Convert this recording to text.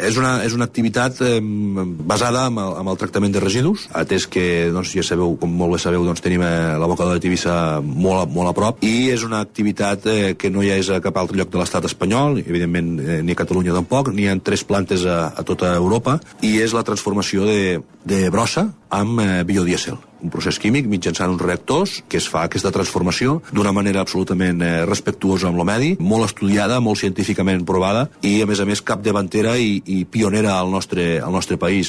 És una activitat basada en el tractament de residus, atès que, doncs, ja sabeu, com molt bé sabeu, doncs, tenim l'abocador de Tivissa molt a prop, i és una activitat que no hi és a cap altre lloc de l'estat espanyol, evidentment ni a Catalunya tampoc, n'hi ha 3 plantes a tota Europa, i és la transformació de brossa amb biodiesel, un procés químic mitjançant uns reactors que es fa aquesta transformació d'una manera absolutament respectuosa amb el medi, molt estudiada, molt científicament provada i a més capdavantera i pionera al nostre país.